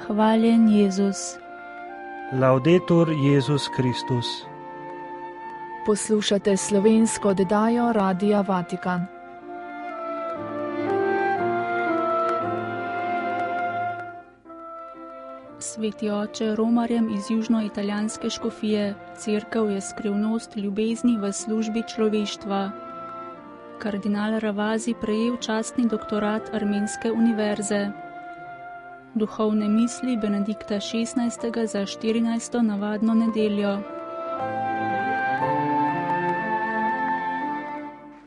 Hvaljen Jezus. Laudetur Jezus Kristus. Poslušate slovensko oddajo Radia Vatikan. Sveti oče romarjem iz južnoitalijanske škofije, cerkev je skrivnost ljubezni v službi človeštva. Kardinal Ravasi prejel častni doktorat Armenske univerze. Duhovne misli Benedikta XVI. Za 14. navadno nedeljo.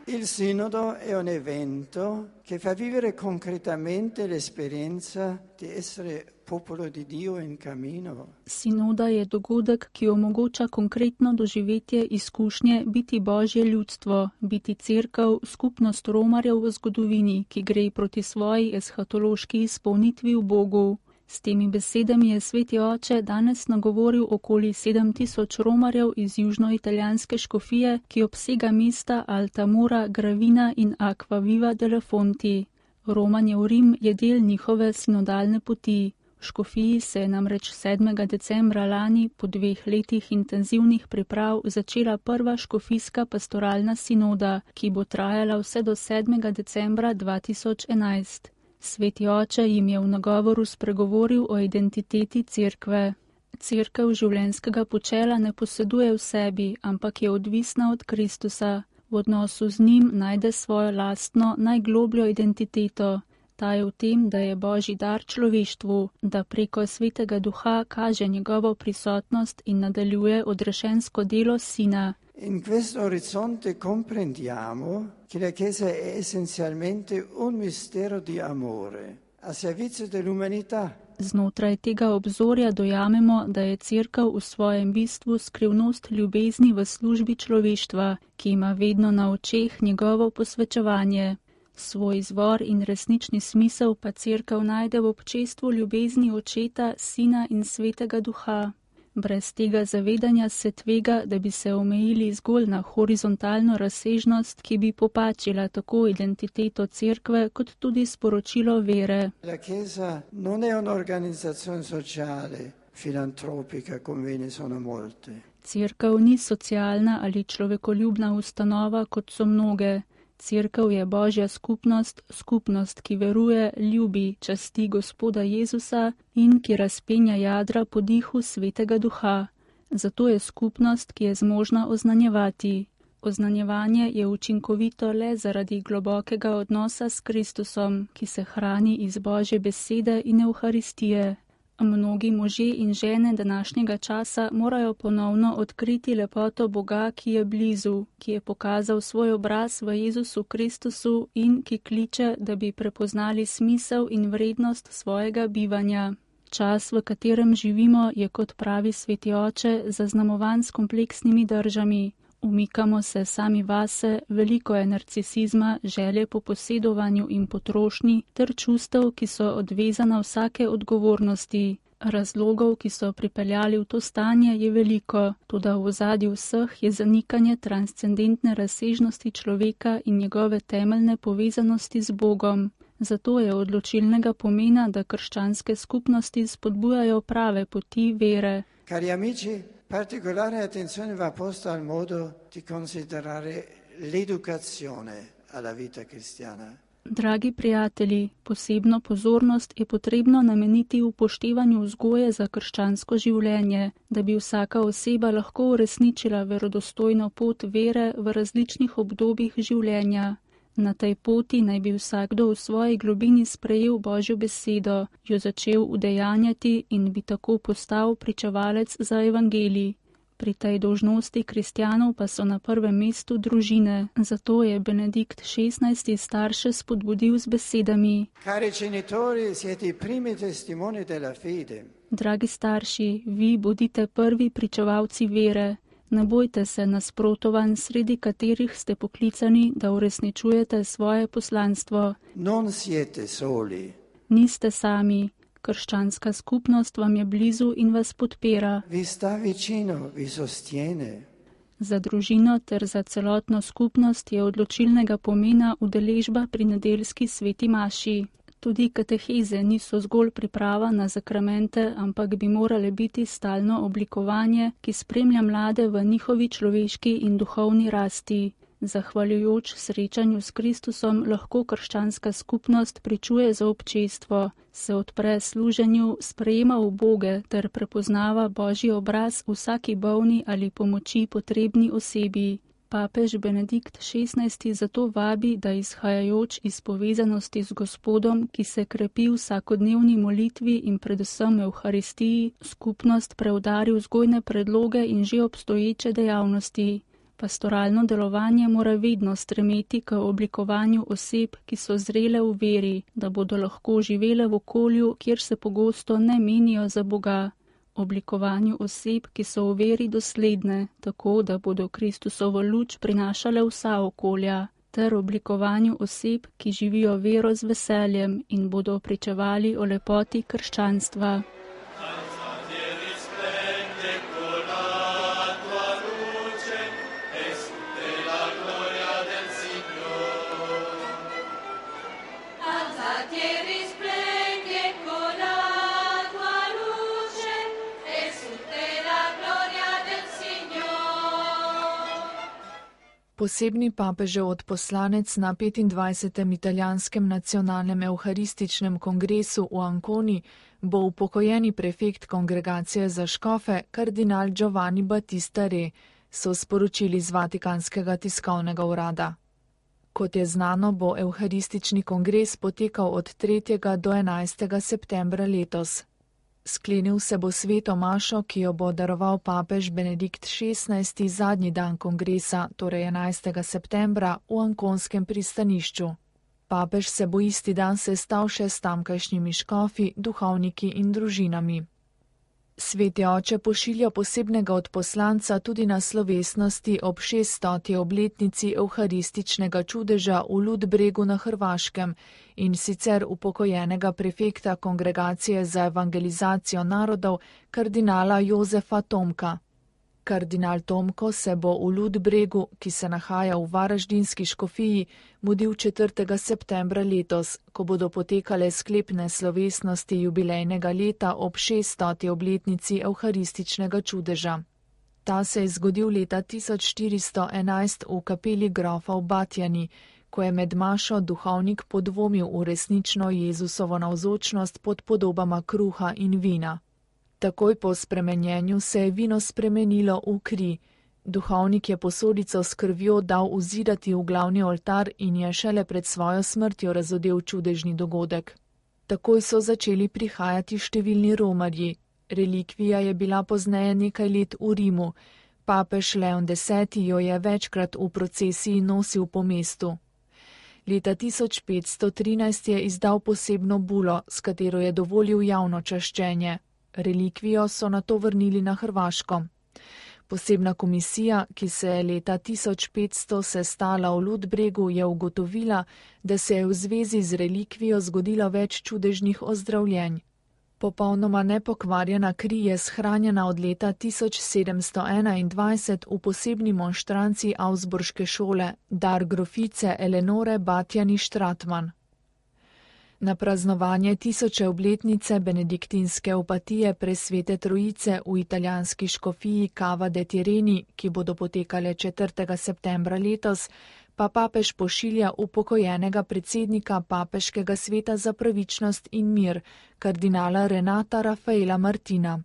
Il Sinodo è un evento che fa vivere concretamente l'esperienza di essere popolo di Dio in cammino. Sinoda je dogodek, ki omogoča konkretno doživetje izkušnje biti Božje ljudstvo, biti cerkev, skupnost romarjev v zgodovini, ki gre proti svoji eshatološki izpolnitvi v Bogu. S temi besedami je sveti oče danes nagovoril okoli 7000 romarjev iz južnoitalijanske škofije, ki obsega mesta Altamura, Gravina in Acquaviva delle Fonti. Romanje v Rim je del njihove sinodalne poti. V škofiji se je namreč 7. decembra lani po 2 letih intenzivnih priprav začela prva škofijska pastoralna sinoda, ki bo trajala vse do 7. decembra 2011. Sveti oče jim je v nagovoru spregovoril o identiteti cerkve. Cerkev življenjskega počela ne poseduje v sebi, ampak je odvisna od Kristusa. V odnosu z njim najde svojo lastno, najglobljo identiteto. Ta je v tem, da je Božji dar človeštvu, da preko Svetega Duha kaže njegovo prisotnost in nadaljuje odrešensko delo Sina. In questo orizzonte comprendiamo che la Chiesa è essenzialmente un mistero di amore a servizio dell'umanità. Znotraj tega obzorja dojamemo, da je cerkev v svojem bistvu skrivnost ljubezni v službi človeštva, ki ima vedno na očeh njegovo posvečevanje. Svoj izvor in resnični smisel pa cerkev najde v občestvu ljubezni Očeta, Sina in Svetega Duha. Brez tega zavedanja se tvega, da bi se omejili zgolj na horizontalno razsežnost, ki bi popačila tako identiteto cerkve kot tudi sporočilo vere. La Chiesa non è un'organizzazione sociale, filantropica, come ne sono molte. Cerkev ni socialna ali človekoljubna ustanova, kot so mnoge. Cerkev je Božja skupnost, skupnost, ki veruje, ljubi, časti Gospoda Jezusa in ki razpenja jadra po dihu Svetega Duha. Zato je skupnost, ki je zmožna oznanjevati. Oznanjevanje je učinkovito le zaradi globokega odnosa s Kristusom, ki se hrani iz Božje besede in Evharistije. Mnogi možje in žene današnjega časa morajo ponovno odkriti lepoto Boga, ki je blizu, ki je pokazal svoj obraz v Jezusu Kristusu in ki kliče, da bi prepoznali smisel in vrednost svojega bivanja. Čas, v katerem živimo, je, kot pravi sveti oče, zaznamovan s kompleksnimi držami. Umikamo se sami vase, veliko je narcisizma, želje po posedovanju in potrošnji ter čustev, ki so odvezana vsake odgovornosti. Razlogov, ki so pripeljali v to stanje, je veliko, toda v ozadju vseh je zanikanje transcendentne razsežnosti človeka in njegove temeljne povezanosti z Bogom. Zato je odločilnega pomena, da krščanske skupnosti spodbujajo prave poti vere. Cari amici, particolare attenzione va posta al modo di considerare l'educazione alla vita cristiana. Dragi prijatelji, posebno pozornost je potrebno nameniti upoštevanju vzgoje za krščansko življenje, da bi vsaka oseba lahko uresničila verodostojno pot vere v različnih obdobjih življenja. Na tej poti naj bi vsakdo v svoji globini sprejel Božjo besedo, jo začel udejanjati in bi tako postal pričevalec za evangelij. Pri tej dolžnosti kristjanov pa so na prvem mestu družine, zato je Benedikt XVI. Starše spodbudil z besedami: Cari genitori, siete i primi testimoni della fede. Dragi starši, vi bodite prvi pričevalci vere. Ne bojte se nasprotovanj, sredi katerih ste poklicani, da uresničujete svoje poslanstvo. Non siete soli. Niste sami. Krščanska skupnost vam je blizu in vas podpira. Vi sta vicino, vi sostiene. Za družino ter za celotno skupnost je odločilnega pomena udeležba pri nedeljski sveti maši. Tudi kateheze niso zgolj priprava na zakramente, ampak bi morale biti stalno oblikovanje, ki spremlja mlade v njihovi človeški in duhovni rasti. Zahvaljujoč srečanju s Kristusom lahko krščanska skupnost pričuje za občestvo, se odpre služenju, sprejema uboge ter prepoznava Božji obraz vsaki bolni ali pomoči potrebni osebi. Papež Benedikt XVI zato vabi, da izhajajoč iz povezanosti z Gospodom, ki se krepi v vsakodnevni molitvi in predvsem Evharistiji, skupnost preudari vzgojne predloge in že obstoječe dejavnosti. Pastoralno delovanje mora vedno stremeti k oblikovanju oseb, ki so zrele v veri, da bodo lahko živele v okolju, kjer se pogosto ne menijo za Boga. Oblikovanju oseb, ki so v veri dosledne, tako da bodo Kristusovo luč prinašale vsa okolja, ter oblikovanju oseb, ki živijo vero z veseljem in bodo pričevali o lepoti krščanstva. Posebni papežev odposlanec na 25. italijanskem nacionalnem evharističnem kongresu v Anconi bo upokojeni prefekt kongregacije za škofe kardinal Giovanni Battista Re, so sporočili z Vatikanskega tiskovnega urada. Kot je znano, bo evharistični kongres potekal od 3. do 11. septembra letos. Sklenil se bo sveto mašo, ki jo bo daroval papež Benedikt XVI zadnji dan kongresa, torej 11. septembra, v ankonskem pristanišču. Papež se bo isti dan sestal še s tamkajšnjimi škofi, duhovniki in družinami. Sveti oče pošilja posebnega odposlanca tudi na slovesnosti ob 600. obletnici evharističnega čudeža v Ludbregu na Hrvaškem in sicer upokojenega prefekta Kongregacije za evangelizacijo narodov kardinala Jozefa Tomka. Kardinal Tomko se bo v Ludbregu, ki se nahaja v varaždinski škofiji, mudil 4. septembra letos, ko bodo potekale sklepne slovesnosti jubilejnega leta ob 600. obletnici evharističnega čudeža. Ta se je zgodil leta 1411 v kapeli grofa v Batjani, ko je med mašo duhovnik podvomil v resnično Jezusovo navzočnost pod podobama kruha in vina. Takoj po spremenjenju se je vino spremenilo v kri. Duhovnik je posodico s krvjo dal vzidati v glavni oltar in je šele pred svojo smrtjo razodel čudežni dogodek. Takoj so začeli prihajati številni romarji. Relikvija je bila pozneje nekaj let v Rimu. Papež Leon X jo je večkrat v procesiji nosil po mestu. Leta 1513 je izdal posebno bulo, s katero je dovolil javno čaščenje. Relikvijo so nato vrnili na Hrvaško. Posebna komisija, ki se je leta 1500 sestala v Ludbregu, je ugotovila, da se je v zvezi z relikvijo zgodilo več čudežnih ozdravljenj. Popolnoma nepokvarjena kri je shranjena od leta 1721 v posebni monštranci Augsburške šole, dar grofice Eleonore Batjani-Stratmann. Na praznovanje 1000. obletnice benediktinske opatije Presvete Trojice v italijanski škofiji Cava de' Tirreni, ki bodo potekale 4. septembra letos, pa papež pošilja upokojenega predsednika Papeškega sveta za pravičnost in mir, kardinala Renata Raffaela Martina.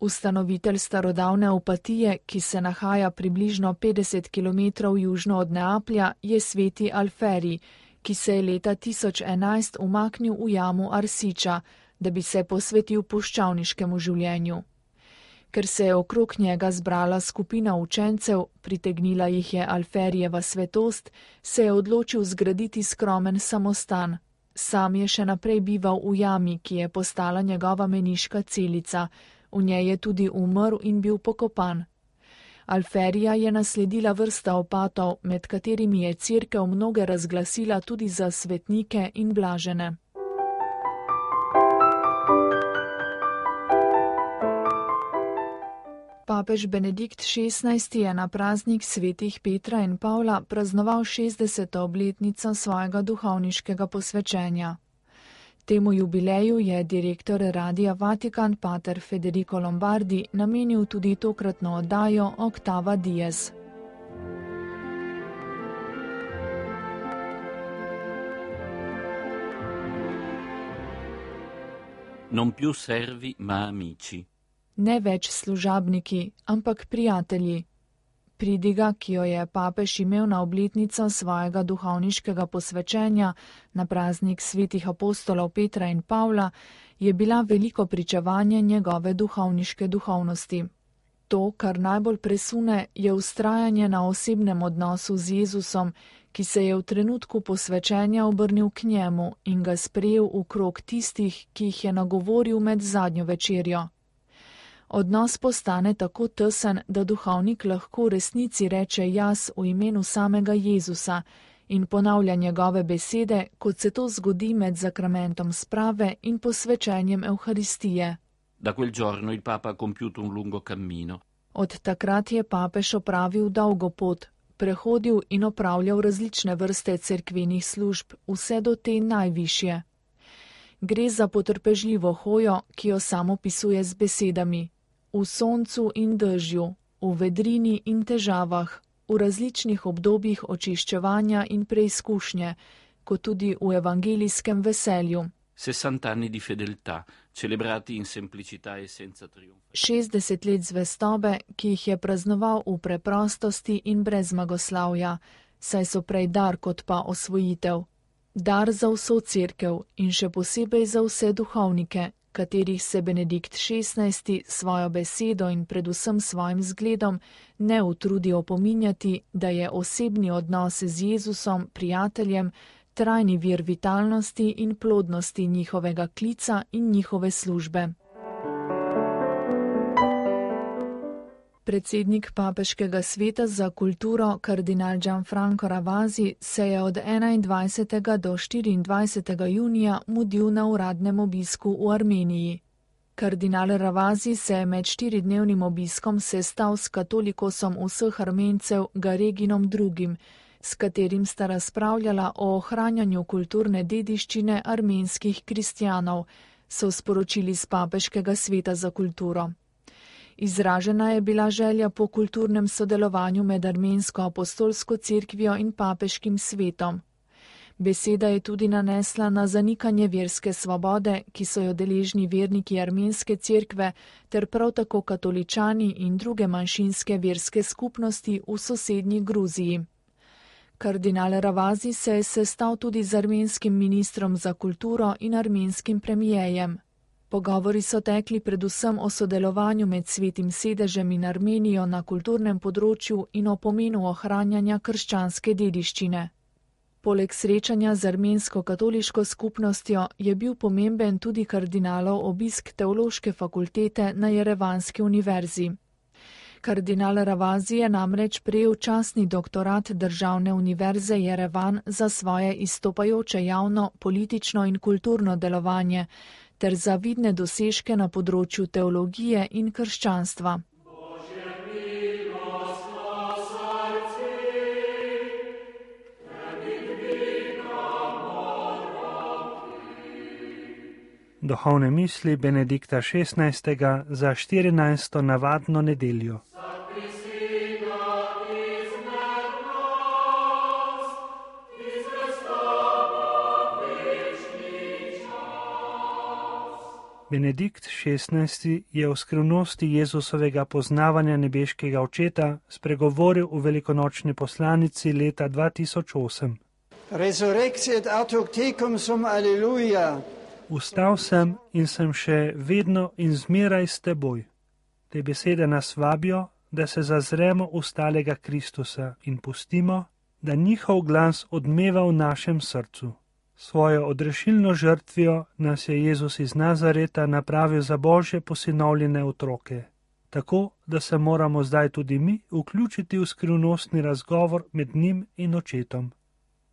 Ustanovitelj starodavne opatije, ki se nahaja približno 50 km južno od Neaplja, je sveti Alferi, ki se je leta 1011 umaknil v jamu Arsiča, da bi se posvetil puščavniškemu življenju. Ker se je okrog njega zbrala skupina učencev, pritegnila jih je Alferijeva svetost, se je odločil zgraditi skromen samostan. Sam je še naprej bival v jami, ki je postala njegova meniška celica. V njej je tudi umrl in bil pokopan. Alferija je nasledila vrsta opatov, med katerimi je cerkev mnoge razglasila tudi za svetnike in blažene. Papež Benedikt XVI je na praznik svetih Petra in Pavla praznoval 60. obletnico svojega duhovniškega posvečenja. Temu jubileju je direktor Radia Vatikan pater Federico Lombardi namenil tudi tokratno oddajo Octava Dies. Non più servi, ma amici. Ne več služabniki, ampak prijatelji. Pridiga, ki jo je papež imel na obletnico svojega duhovniškega posvečenja na praznik svetih apostolov Petra in Pavla, je bila veliko pričevanje njegove duhovniške duhovnosti. To, kar najbolj presune, je vztrajanje na osebnem odnosu z Jezusom, ki se je v trenutku posvečenja obrnil k njemu in ga sprejel v krog tistih, ki jih je nagovoril med zadnjo večerjo. Odnos postane tako tesen, da duhovnik lahko v resnici reče jaz v imenu samega Jezusa in ponavlja njegove besede, kot se to zgodi med zakramentom sprave in posvečenjem Evharistije. Da quel giorno il Papa ha compiuto un lungo cammino. Od takrat je papež opravil dolgo pot, prehodil in opravljal različne vrste cerkvenih služb, vse do te najvišje. Gre za potrpežljivo hojo, ki jo sam opisuje z besedami: v soncu in dežju, v vedrini in težavah, v različnih obdobjih očiščevanja in preizkušnje, kot tudi v evangelijskem veselju. 60 anni di fedeltà, celebrati in semplicità e senza trionfo. 60 let zvestobe, ki jih je praznoval v preprostosti in brez zmagoslavja, saj so prej dar kot pa osvojitev. Dar za vso cerkev in še posebej za vse duhovnike, katerih se Benedikt XVI svojo besedo in predvsem svojim zgledom ne utrudi opominjati, da je osebni odnos z Jezusom, prijateljem, trajni vir vitalnosti in plodnosti njihovega klica in njihove službe. Predsednik Papeškega sveta za kulturo kardinal Gianfranco Ravasi se je od 21. do 24. junija mudil na uradnem obisku v Armeniji. Kardinal Ravasi se je med 4-dnevnim obiskom sestal s katolikosom vseh Armencev Gareginom II., s katerim sta razpravljala o ohranjanju kulturne dediščine armenskih kristjanov, so sporočili z Papeškega sveta za kulturo. Izražena je bila želja po kulturnem sodelovanju med armensko apostolsko cerkvijo in papeškim svetom. Beseda je tudi nanesla na zanikanje verske svobode, ki so jo deležni verniki armenske cerkve, ter prav tako katoličani in druge manjšinske verske skupnosti v sosednji Gruziji. Kardinal Ravasi se je sestal tudi z armenskim ministrom za kulturo in armenskim premijejem. Pogovori so tekli predvsem o sodelovanju med Svetim sedežem in Armenijo na kulturnem področju in o pomenu ohranjanja krščanske dediščine. Poleg srečanja z armensko-katoliško skupnostjo je bil pomemben tudi kardinalov obisk teološke fakultete na Jerevanski univerzi. Kardinal Ravasi je namreč prejel častni doktorat Državne univerze Jerevan za svoje izstopajoče javno, politično in kulturno delovanje ter za vidne dosežke na področju teologije in krščanstva. Duhovne misli Benedikta XVI. Za 14. navadno nedeljo. Benedikt XVI. Je o skrivnosti Jezusovega poznavanja nebeškega očeta spregovoril v velikonočni poslanici leta 2008. Resurrexiet ad tecum sum alleluja. Vstal sem in sem še vedno in zmeraj s teboj. Te besede nas vabijo, da se zazremo v stalega Kristusa in pustimo, da njihov glas odmeva v našem srcu. Svojo odrešilno žrtvijo nas je Jezus iz Nazareta napravil za Božje posinovljene otroke, tako da se moramo zdaj tudi mi vključiti v skrivnostni razgovor med njim in očetom.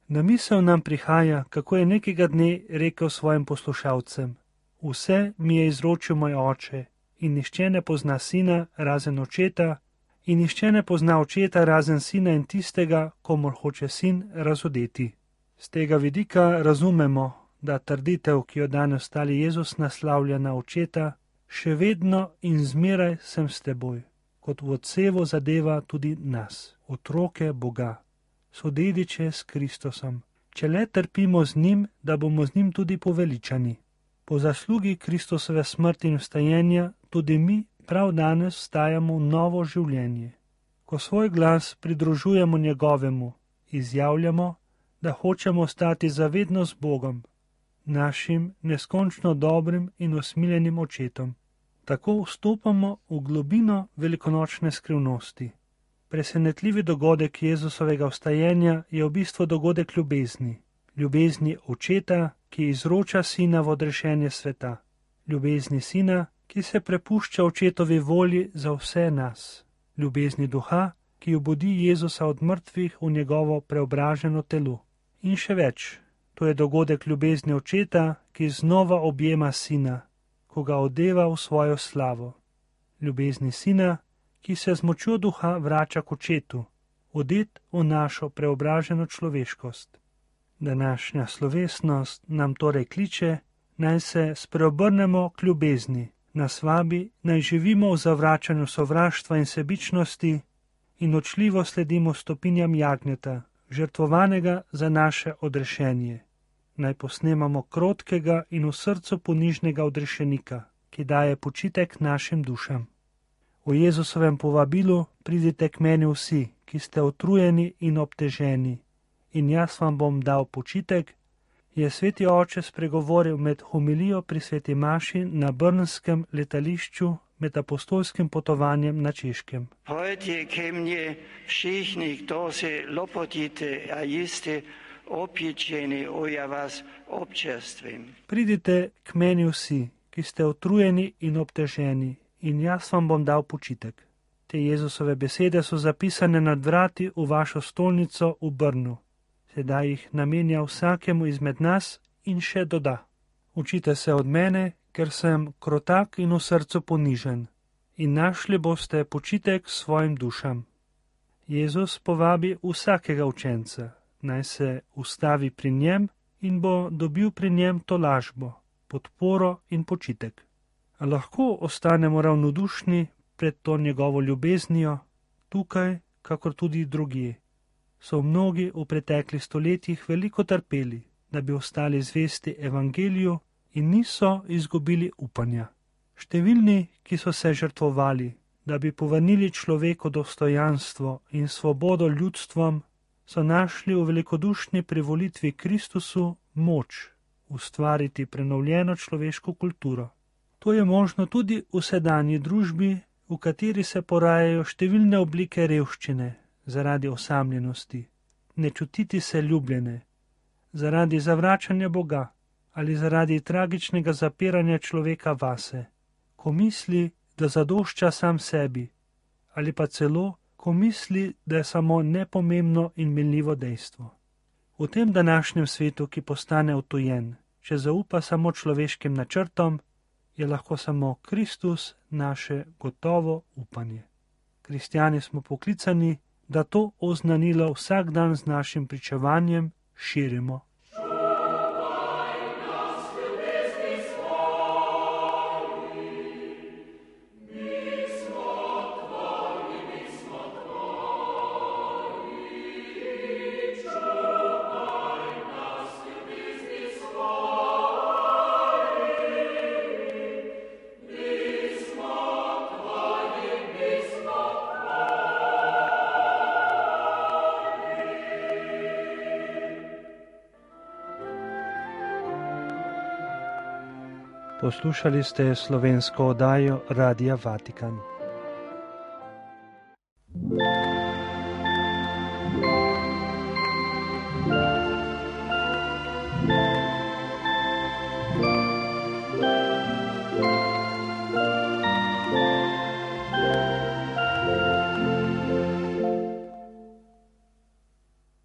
Na misel nam prihaja, kako je nekega dne rekel svojim poslušalcem: vse mi je izročil moj oče in nihče ne pozna sina razen očeta in nihče ne pozna očeta razen sina in tistega, komur hoče sin razodeti. Z tega vidika razumemo, da trditev, ki jo danes stali Jezus naslavlja na očeta, še vedno in zmeraj sem s teboj, kot v odsevu zadeva tudi nas, otroke Boga, sodediče s Kristusom, če le trpimo z njim, da bomo z njim tudi poveličani. Po zaslugi Kristusove smrti in vstajenja tudi mi prav danes vstajamo v novo življenje. Ko svoj glas pridružujemo njegovemu, izjavljamo, da hočemo ostati zavedno z Bogom, našim neskončno dobrim in usmiljenim očetom. Tako vstopamo v globino velikonočne skrivnosti. Presenetljivi dogodek Jezusovega vstajenja je v bistvu dogodek ljubezni. Ljubezni očeta, ki izroča sina v odrešenje sveta. Ljubezni sina, ki se prepušča očetovi volji za vse nas. Ljubezni duha, ki obudi Jezusa od mrtvih v njegovo preobraženo telo. In še več, to je dogodek ljubezni očeta, ki znova objema sina, ko ga odeva v svojo slavo. Ljubezni sina, ki se z močjo duha vrača k očetu, odet v našo preobraženo človeškost. Današnja slovesnost nam torej kliče, naj se spreobrnemo k ljubezni, nas vabi, naj živimo v zavračanju sovraštva in sebičnosti in očljivo sledimo stopinjam jagnjeta, žrtvovanega za naše odrešenje. Naj posnemamo krotkega in v srcu ponižnega odrešenika, ki daje počitek našim dušam. V Jezusovem povabilu pridite k meni vsi, ki ste utrujeni in obteženi, in jaz vam bom dal počitek, je sveti oče spregovoril med homilijo pri sveti maši na brnskem letališču med apostolskim potovanjem na Češkem. Pojdite ke mně všichni, kdo se lopotite a jiste opječeni, ja vas občerstvím. Pridite k meni vsi, ki ste utrujeni in obteženi, in jaz vam bom dal počitek. Te Jezusove besede so zapisane nad vrati v vašo stolnico v Brnu. Sedaj jih namenja vsakemu izmed nas in še doda. Učite se od mene, ker sem krotak in v srcu ponižen, in našli boste počitek svojim dušam. Jezus povabi vsakega učenca, naj se ustavi pri njem in bo dobil pri njem tolažbo, podporo in počitek. A lahko ostanemo ravnodušni pred to njegovo ljubeznijo, tukaj, kakor tudi drugje. So mnogi v preteklih stoletjih veliko trpeli, da bi ostali zvesti evangeliju in niso izgubili upanja. Številni, ki so se žrtvovali, da bi povrnili človeku dostojanstvo in svobodo ljudstvom, so našli v velikodušni privolitvi Kristusu moč ustvariti prenovljeno človeško kulturo. To je možno tudi v sedanji družbi, v kateri se porajajo številne oblike revščine, zaradi osamljenosti, ne čutiti se ljubljene, zaradi zavračanja Boga ali zaradi tragičnega zapiranja človeka vase, ko misli, da zadošča sam sebi, ali pa celo, ko misli, da je samo nepomembno in minljivo dejstvo. V tem današnjem svetu, ki postane odtujen, če zaupa samo človeškim načrtom, je lahko samo Kristus naše gotovo upanje. Kristjani smo poklicani, da to oznanilo vsak dan z našim pričevanjem širimo. Poslušali ste slovensko oddajo Radia Vatikan.